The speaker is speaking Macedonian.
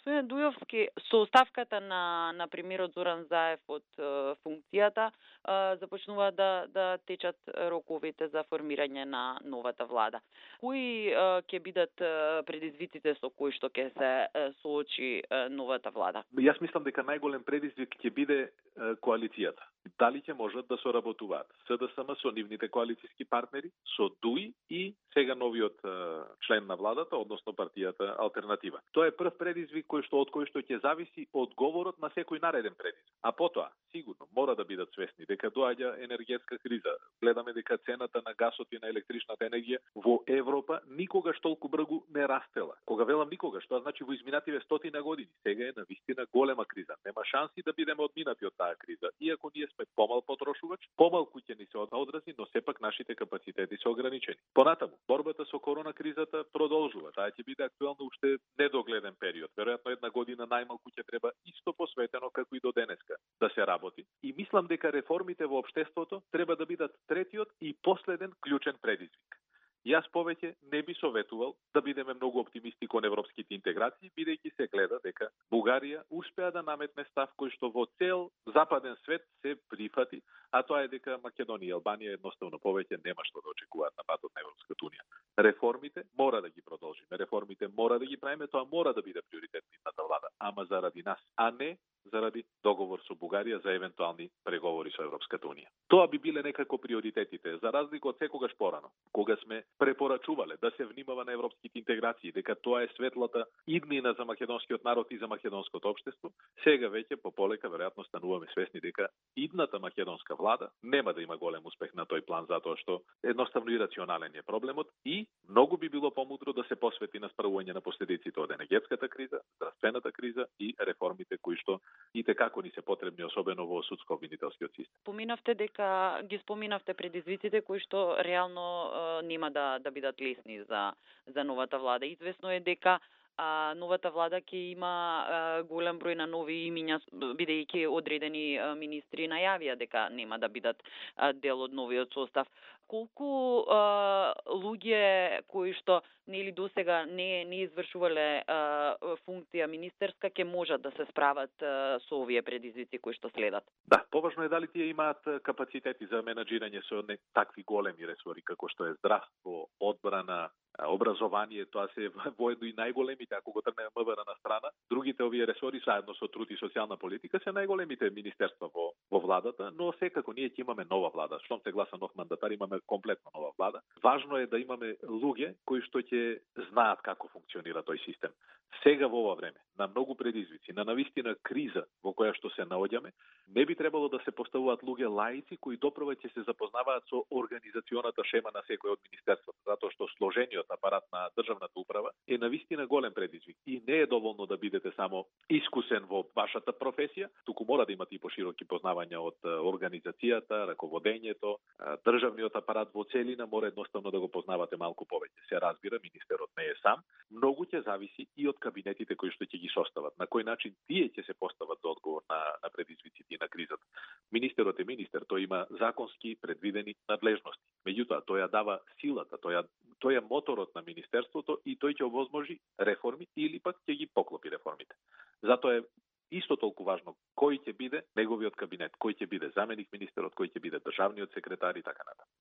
Господин Дујовски, со оставката на премиерот Зоран Заев од функцијата, започнува да течат роковите за формирање на новата влада. Кои ќе бидат предизвиците со кои што ќе се соочи новата влада? Јас мислам дека најголем предизвик ќе биде коалицијата. Дали ќе можат да соработуваат СДСМ со нивните коалициски партнери, со ДУИ и сега новиот член на владата, односно партијата Алтернатива. Тоа е прв предизвик од кој што ќе зависи одговорот на секој нареден предизвик. А потоа, сигурно, мора да бидат свесни дека доаѓа енергетска криза. Гледаме дека цената на гасот и на електричната енергија во Европа никогаш толку брзо не растела. Кога велам никогаш, тоа значи во изминативе стотина години. Сега е навистина голема криза. Нема шанси да бидеме одминати од таа криза. Иако ние сме помал потрошувач, помалку ќе ни се одрази, но сепак нашите капацитети се ограничени. Понатаму, борбата со корона кризата продолжува. Таа ќе биде актуелна уште недогледен период. Веројатно една година најмалку ќе треба исто посветено како и до денеска да се работи. И мислам дека реформите во општеството треба да бидат третиот и последен клучен предизвик. Јас повеќе не би советувал да бидеме многу оптимисти кон европските интеграции, бидејќи се гледа дека Бугарија успеа да наметне став кој што во цел западен свет се прифати, а тоа е дека Македонија и Албанија едноставно повеќе нема што да очекуваат на патот на Европската унија. Реформите мора да ги продолжиме, реформите мора да ги правиме, тоа мора да биде приоритет нивната влада, ама заради нас, а не заради договор со Бугарија за евентуални преговори со Европската унија. Тоа би биле некако приоритетите, за разлика од секогаш порано, кога сме препорачувале да се внимава на европските интеграции, дека тоа е светлата иднина за македонскиот народ и за македонското општество. Сега веќе пополека веројатно стануваме свесни дека идната македонска влада нема да има голем успех на тој план, затоа што едноставно ирационален е проблемот и многу би било помудро да се посвети на справување на последиците од енергетската криза, здравствената криза и реформите кои што и како ни се потребни, особено во судско-обвинителскиот систем. Ги споминавте предизвиците кои што реално нема да бидат лесни за новата влада. Известно е дека новата влада ќе има голем број на нови имиња, бидејќи одредени министри најавија дека нема да бидат дел од новиот состав. Колку луѓе кои што нели досега не извршувале функција министерска ќе можат да се справат со овие предизвици кои што следат? Да, поважно е дали тие имаат капацитети за менаџирање со такви големи ресори како што е здравство, одбрана, образование, тоа се воедно и најголемите, ако го тргнеме МВР на страна. Другите овие ресори, заедно со труд и социјална политика, се најголемите министерства во владата, но секако ние ќе имаме нова влада. Штом се гласа нов мандатар, имаме комплетно нова влада. Важно е да имаме луѓе кои што ќе знаат како функционира тој систем. Сега во ова време, на многу предизвици, на навистина криза во која што се наоѓаме, не би требало да се поставуваат луѓе лаици кои допрва ќе се запознаваат со организационата шема на секој од министерствата, затоа што сложениот апарат на државната управа е навистина голем предизвик и не е доволно да бидете само искусен во вашата професија, туку мора да имате и пошироки познавања од организацијата, раководењето, државниот апарат во целина мора едноставно да го познавате малку повеќе. Се разбира, министерот не е сам, многу ќе зависи и од кабинетите кои што ќе ги состават. На кој начин тие ќе се постават за одговор на предизвиците и на кризата. Министерот е министер, тој има законски предвидени надлежности. Меѓутоа, тој ја дава силата, тој е моторот на министерството и тој ќе овозможи реформи или пак ќе ги поклопи реформите. Затоа е исто толку важно кој ќе биде неговиот кабинет, кој ќе биде заменик министерот, кој ќе биде државниот секретар и така натаму.